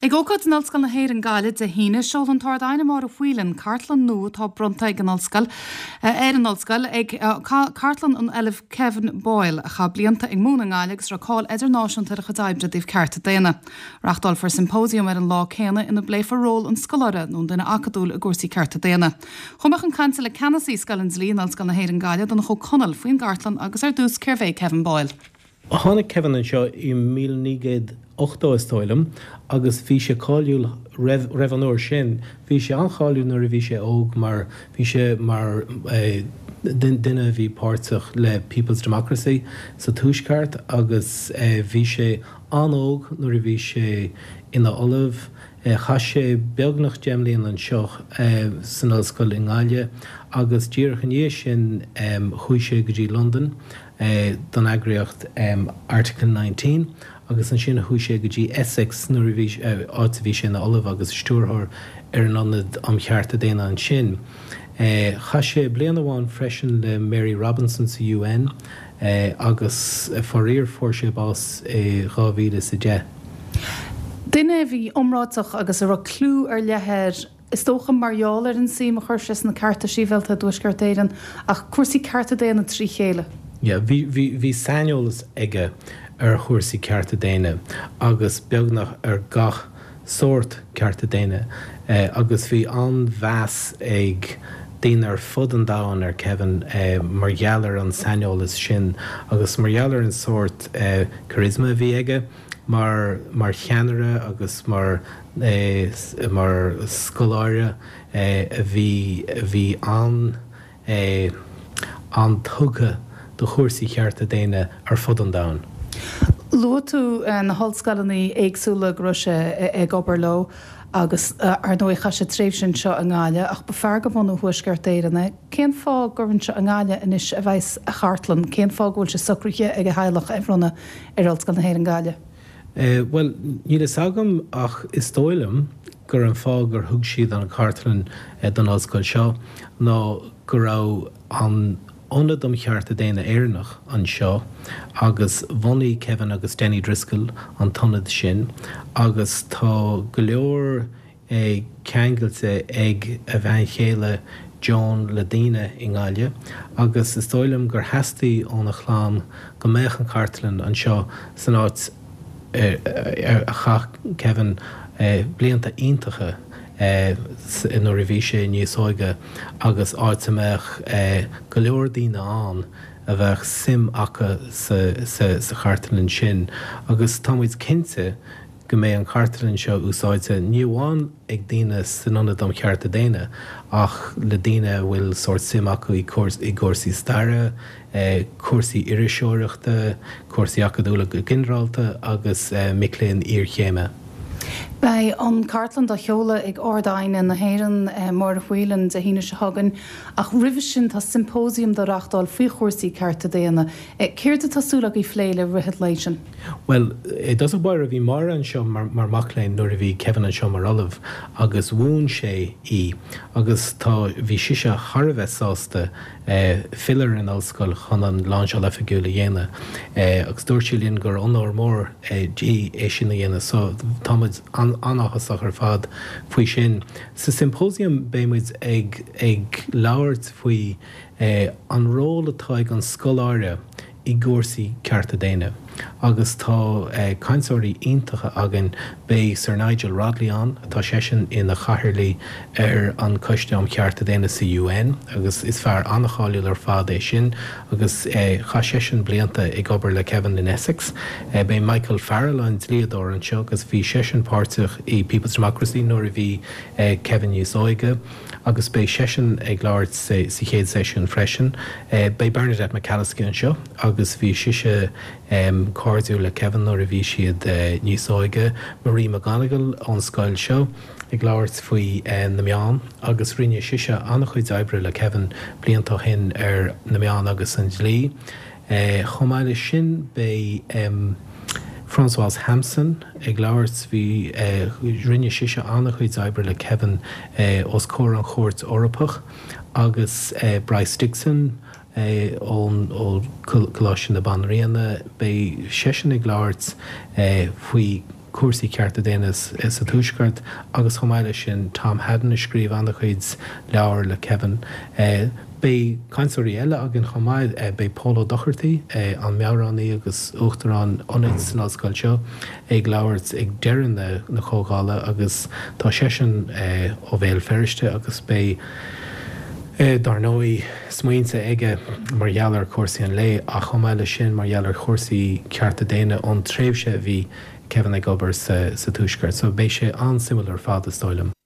Ag ócáid in Ollscoil na hÉireann, Gaillimh, Dé hAoine, seolfaidh an tArd-Aighne Máire Whelan cartlann nua atá bronnta ag an Ollscoil ar an Ollscoil ag Cartlann an Ollaimh Kevin Boyle, a chaith blianta ag múineadh i nGaillimh agus a raibh cáil idirnáisiúnta ar a chuid oibre i dtaobh cearta daonna. Reáchtálfar symposium ar an lá céanna ina bpléifear ról an scoláire nó an duine acadúil i gcúrsaí cearta daonna. Chuaigh mé chun cainte le Ceannasaí Scoil an Dlí in Ollscoil na hÉireann, Gaillimh, Donncha Ó Conaill, faoin gcartlann agus ar dtús cérbh é Kevin Boyle. Tháinig Kevin anseo i 1980 is dóigh liom agus bhí sé cáiliúil roimh roimh an uair sin. Bhí sé an-cháiliúil nuair a bhí sé óg mar bhí sé mar duine a bhí páirteach le People's Democracy sa Tuaisceart agus bhí sé an-óg nuair a bhí sé ina ollamh. Chaith sé beagnach 10 mbliana anseo san ollscoil i nGaillimh agus díreach i ndiaidh sin chuaigh sé go dtí Londain don eagraíocht Article 19 agus ansin chuaigh sé go dtí Essex nuair a bhí, áit a bhí sé ina ollamh agus stiúrthóir ar an Ionad um Chearta Daonna ansin. Chaith sé bliain amháin freisin le Mary Robinson sa UN agus faraor fuair sé bás i 2010. Duine a bhí iomráiteach agus a raibh clú ar leith air. Is dócha mar gheall ar an suim a chuir sé sna cearta sibhialta i dTuaisceart Éireann, ach cúrsaí cearta daonna trí chéile. Yeah, bhí, bhí, bhí saineolas aige ar chúrsaí cearta daonna agus beagnach ar gach sórt cearta daonna agus bhí an-mheas ag daoine ar fud an domhain ar Kevin mar gheall ar an saineolas sin agus mar gheall ar an sórt charisma a bhí aige. mar mar cheannaire agus mar mar scoláire a bhí a bhí an an-tugtha do chúrsaí chearta daonna ar fud an domhain. Luaigh tú na hollscoileanna éagsúla go raibh sé ag obair leo agus ar ndóigh chaith sé tréimhse anseo i nGaillimh ach ba fear de bhunadh Thuaisceart Éireann é. Cén fáth gur anseo i nGaillimh anois a bheas a chartlann? Cén fáth go bhfuil sé socraithe ag a theaghlach é a bhronnadh ar Ollscoil na hÉireann Gaillimh? Bhuel, níl fhios agam ach is dóigh liom gur an fáth gur thug siad an chartlann don ollscoil seo ná go raibh an Ionad um Chearta Daonna Éireannach anseo agus bhunaigh Kevin agus Denny Driscoll an t-ionad sin agus tá go leor é ceangailte ag a bhean chéile Joan le daoine i nGaillimh agus is dóigh liom gur theastaigh óna chlann go mbeadh an chartlann anseo san áit ar chaith Kevin blianta iontacha nuair a bhí sé níos óige agus áit a mbeadh go leor daoine ann a bheadh suim acu sa chartlann sin agus tá muid cinnte go mbeidh an chartlann seo úsáidte ní amháin ag daoine san Ionad um Chearta Daonna ach le daoine a bhfuil sórt suim acu i gcúrsaí staire, cúrsaí iriseoireachta, cúrsaí acadúla go ginearálta agus mic léinn iarchéime. Beidh an chartlann dá sheoladh ag Ard-Aighne na hÉireann, Máire Whelan, Dé hAoine seo chugainn ach roimhe sin tá symposium dá reáchtáil faoi chúrsaí cearta daonna. Céard atá súil agaibh phlé le rith an lae sin? Bhuel, i dtosach báire, bhí Máire anseo mar mac léinn nuair a bhí Kevin anseo mar ollamh agus mhúin sé í agus tá, bhí sise thar a bheith sásta filleadh ar an ollscoil chun an láinseáil oifigiúil a dhéanamh agus dúirt sí linn gur onóir mór di é sin a dhéanamh so tá muid an-áthasach ar fad faoi sin. Sa symposium beidh muid ag ag labhairt faoi an ról atá ag an scoláire i gcúrsaí cearta daonna agus tá cainteoirí iontacha againn. Beidh Sir Nigel Rodley ann, atá seisean ina chathaoirligh ar an Coiste um Chearta Daonna sa UN agus is fear an-cháiliúil ar fad é sin agus chaith seisean blianta ag obair le Kevin in Essex. Beidh Michael Farrell, an dlíodóir, anseo agus bhí seisean páirteach i People's Democracy nuair a bhí Kevin níos óige. agus beidh seisean ag labhairt sa chéad seisiún freisin. Beidh Bernadette McAliskey anseo agus bhí sise cairdiúil le Kevin nuair a bhí siad níos óige. Marie McGonigle ón scoil seo ag labhairt faoi na meáin agus rinne sise an-chuid oibre le Kevin blianta ó shin ar na meáin agus an dlí. Chomh maith leis sin beidh Françoise Hampson ag labhairt, bhí, rinne sise an-chuid oibre le Kevin os comhair an Chúirt Eorpach agus Bryce Dixon ón ó Coláiste na Banríona, beidh seisean ag labhairt faoi. cúrsaí cearta daonna sa Tuaisceart agus chomh maith leis sin Tom Haddon a scríobh an-chuid leabhar le Kevin. Beidh cainteoirí eile againn chomh maith. Beidh Pól Ó Dochartaigh, an meabhránaí agus Uachtarán Ionaid san ollscoil seo, ag labhairt ag deireadh na comhdhála agus tá seisean ó Bhéal Feirste agus beidh, dar ndóigh, smaointe aige mar gheall ar chúrsaí an lae ach chomh maith leis sin mar gheall ar chúrsaí cearta daonna ón tréimhse a bhí Kevin ag obair sa Tuaisceart. So beidh sé an-suimiúil ar fad, is dóigh liom.